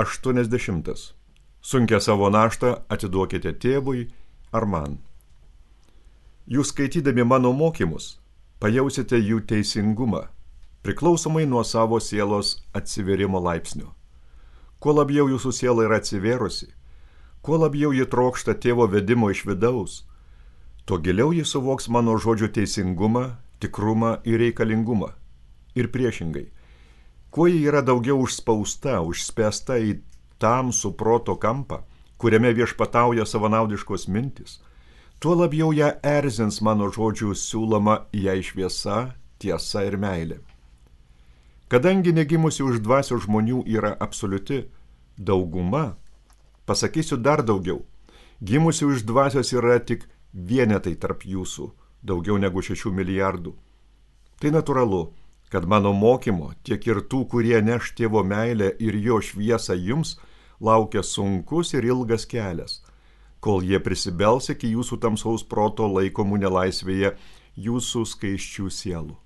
80. Sunkia savo naštą atiduokite tėvui ar man. Jūs skaitydami mano mokymus, pajausite jų teisingumą, priklausomai nuo savo sielos atsiverimo laipsnio. Kuo labiau jūsų siela yra atsivėrusi, kuo labiau ji trokšta tėvo vedimo iš vidaus, tuo giliau ji suvoks mano žodžių teisingumą, tikrumą ir reikalingumą. Ir priešingai, kuo ji yra daugiau užspausta, užspęsta į tamsų proto kampą, kuriame viešpatauja savanaudiškos mintis, tuo labiau ją erzins mano žodžių siūloma jai šviesa, tiesa ir meilė. Kadangi negimusi už dvasios žmonių yra absoliuti dauguma, pasakysiu dar daugiau, gimusi už dvasios yra tik vienetai tarp jūsų, daugiau negu 6 milijardų. Tai natūralu, kad mano mokymo, tiek ir tų, kurie neš tėvo meilę ir jo šviesą jums, laukia sunkus ir ilgas kelias, kol jie prisibels iki jūsų tamsaus proto laikomų nelaisvėje jūsų skaisčių sielų.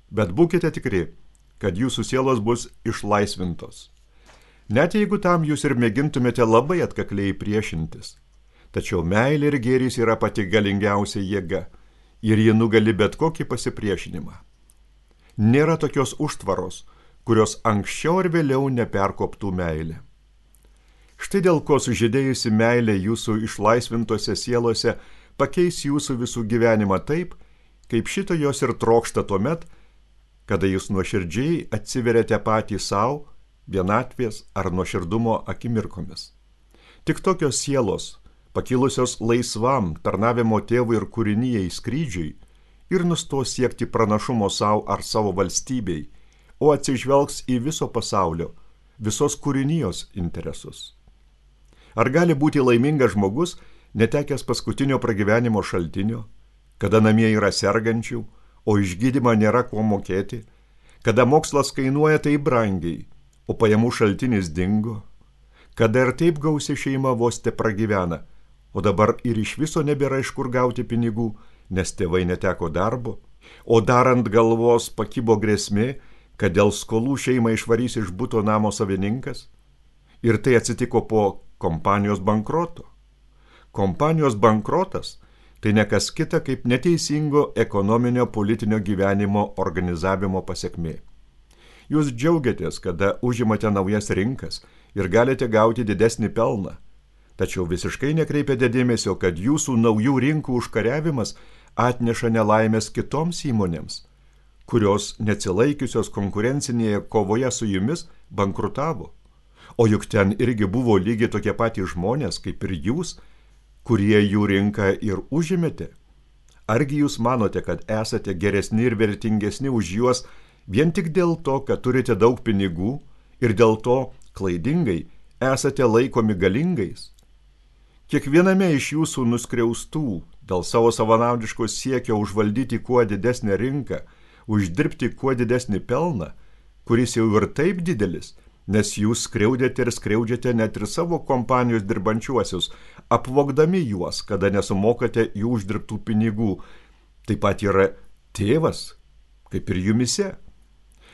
Bet būkite tikri, kad jūsų sielos bus išlaisvintos. Net jeigu tam jūs ir mėgintumėte labai atkakliai priešintis, tačiau meilė ir gėris yra pati galingiausia jėga ir ji nugali bet kokį pasipriešinimą. Nėra tokios užtvaros, kurios anksčiau ar vėliau neperkoptų meilė. Štai dėl ko sužydėjusi meilė jūsų išlaisvintose sielose pakeis jūsų visų gyvenimą taip, kaip šito jos ir trokšta tuomet, kada jūs nuoširdžiai atsiveriate patį savo, vienatvės ar nuoširdumo akimirkomis. Tik tokios sielos, pakilusios laisvam tarnavimo tėvui ir kūrinijai skrydžiui, ir nustos siekti pranašumo savo ar savo valstybei, o atsižvelgs į viso pasaulio, visos kūrinijos interesus. Ar gali būti laimingas žmogus, netekęs paskutinio pragyvenimo šaltinio, kada namie yra sergančių, o išgydymą nėra kuo mokėti, kada mokslas kainuoja taip brangiai, o pajamų šaltinis dingo, kada ir taip gausi šeima vos te pragyvena, o dabar ir iš viso nebėra iš kur gauti pinigų, nes tėvai neteko darbo, o dar ant galvos pakibo grėsmė, kad dėl skolų šeimą išvarys iš buto namo savininkas, ir tai atsitiko po kompanijos bankroto. Kompanijos bankrotas tai ne kas kita kaip neteisingo ekonominio politinio gyvenimo organizavimo pasekmė. Jūs džiaugiatės, kada užimate naujas rinkas ir galite gauti didesnį pelną, tačiau visiškai nekreipiate dėmesio, kad jūsų naujų rinkų užkariavimas atneša nelaimės kitoms įmonėms, kurios neatsilaikiusios konkurencinėje kovoje su jumis bankrutavo. O juk ten irgi buvo lygiai tokie patys žmonės, kaip ir jūs, kurie jų rinką ir užimėte. Argi jūs manote, kad esate geresni ir vertingesni už juos vien tik dėl to, kad turite daug pinigų ir dėl to klaidingai esate laikomi galingais? Kiekviename iš jūsų nuskriaustų dėl savo savanaudiško siekio užvaldyti kuo didesnę rinką, uždirbti kuo didesnį pelną, kuris jau ir taip didelis, nes jūs skriaudėte ir skriaudžiate net ir savo kompanijos dirbančiuosius, apvogdami juos, kada nesumokate jų uždirbtų pinigų. Taip pat yra tėvas, kaip ir jumise.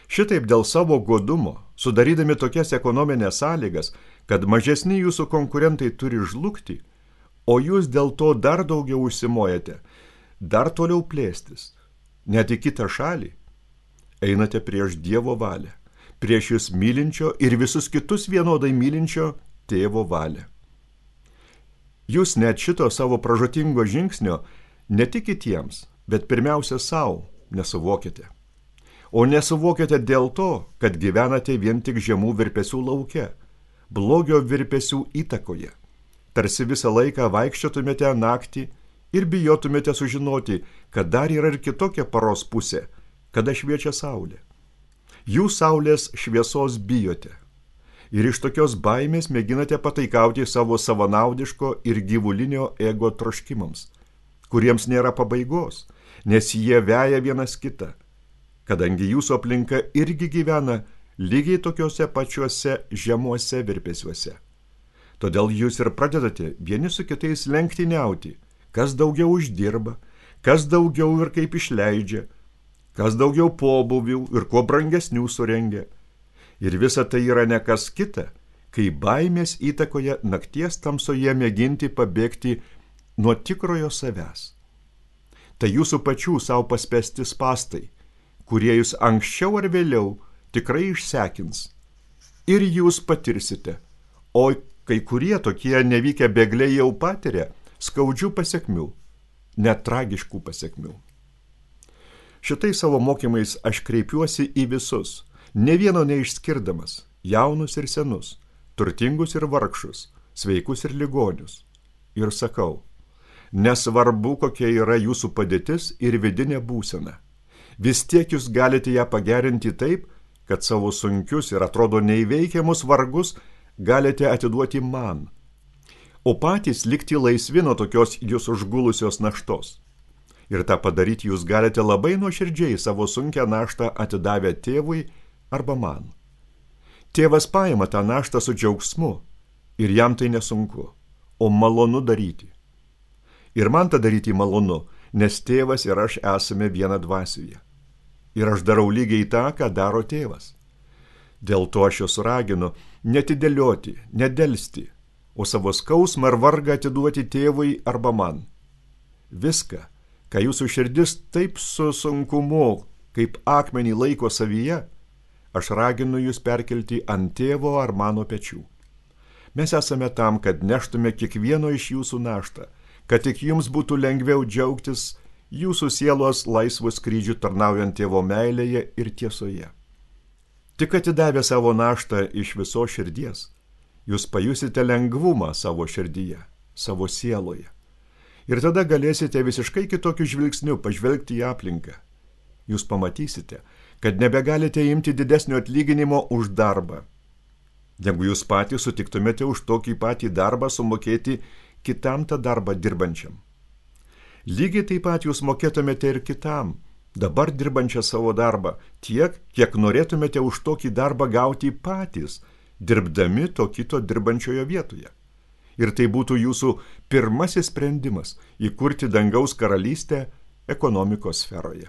Šitaip dėl savo godumo, sudarydami tokias ekonominės sąlygas, kad mažesni jūsų konkurentai turi žlugti, o jūs dėl to dar daugiau užsimojate, dar toliau plėstis, net į kitą šalį, einate prieš Dievo valią, prieš jūs mylinčio ir visus kitus vienodai mylinčio tėvo valią. Jūs net šito savo pražūtingo žingsnio ne tik kitiems, bet pirmiausia savo nesuvokite. O nesuvokite dėl to, kad gyvenate vien tik žemų virpesių lauke, blogio virpesių įtakoje. Tarsi visą laiką vaikščiotumėte naktį ir bijotumėte sužinoti, kad dar yra ir kitokia paros pusė, kada šviečia saulė. Jūs saulės šviesos bijote. Ir iš tokios baimės mėginate pataikauti savo savanaudiško ir gyvulinio ego troškimams, kuriems nėra pabaigos, nes jie veja vienas kitą, kadangi jūsų aplinka irgi gyvena lygiai tokiuose pačiuose žemuose virpesiuose. Todėl jūs ir pradedate vieni su kitais lenktyniauti, kas daugiau uždirba, kas daugiau ir kaip išleidžia, kas daugiau pobūvių ir kuo brangesnių surengia. Ir visa tai yra ne kas kita, kai baimės įtakoje nakties tamsoje mėginti pabėgti nuo tikrojo savęs. Tai jūsų pačių savo paspęsti spąstai, kurie jūs anksčiau ar vėliau tikrai išsekins. Ir jūs patirsite, o kai kurie tokie nevykę bėgliai jau patiria skaudžių pasekmių, net tragiškų pasekmių. Šitai savo mokymais aš kreipiuosi į visus, ne vieno neišskirdamas, jaunus ir senus, turtingus ir vargšus, sveikus ir ligonius. Ir sakau, nesvarbu, kokia yra jūsų padėtis ir vidinė būsena. Vis tiek jūs galite ją pagerinti taip, kad savo sunkius ir atrodo neįveikiamus vargus galite atiduoti man, o patys likti laisvi nuo tokios jūs užgulusios naštos. Ir tą padaryti jūs galite labai nuoširdžiai savo sunkią naštą atidavę tėvui arba man. Tėvas paima tą naštą su džiaugsmu ir jam tai nesunku, o malonu daryti. Ir man tą daryti malonu, nes tėvas ir aš esame viena dvasioje. Ir aš darau lygiai tą, ką daro tėvas. Dėl to aš jūs raginu netidėlioti, nedelsti, o savo skausmą ir vargą atiduoti tėvui arba man. Viską, ką jūsų širdis taip su sunkumu, kaip akmenį laiko savyje, aš raginu jūs perkelti ant tėvo ar mano pečių. Mes esame tam, kad neštume kiekvieno iš jūsų naštą, kad tik jums būtų lengviau džiaugtis jūsų sielos laisvų skrydžių tarnaujant tėvo meilėje ir tiesoje. Tik atidavę savo naštą iš visos širdies, jūs pajusite lengvumą savo širdyje, savo sieloje. Ir tada galėsite visiškai kitokiu žvilgsniu pažvelgti į aplinką. Jūs pamatysite, kad nebegalite imti didesnio atlyginimo už darbą, negu jūs patys sutiktumėte už tokį patį darbą sumokėti kitam tą darbą dirbančiam. Lygiai taip pat jūs mokėtumėte ir kitam, dabar dirbančią savo darbą, tiek, kiek norėtumėte už tokį darbą gauti patys, dirbdami to kito dirbančiojo vietoje. Ir tai būtų jūsų pirmasis sprendimas įkurti dangaus karalystę ekonomikos sferoje.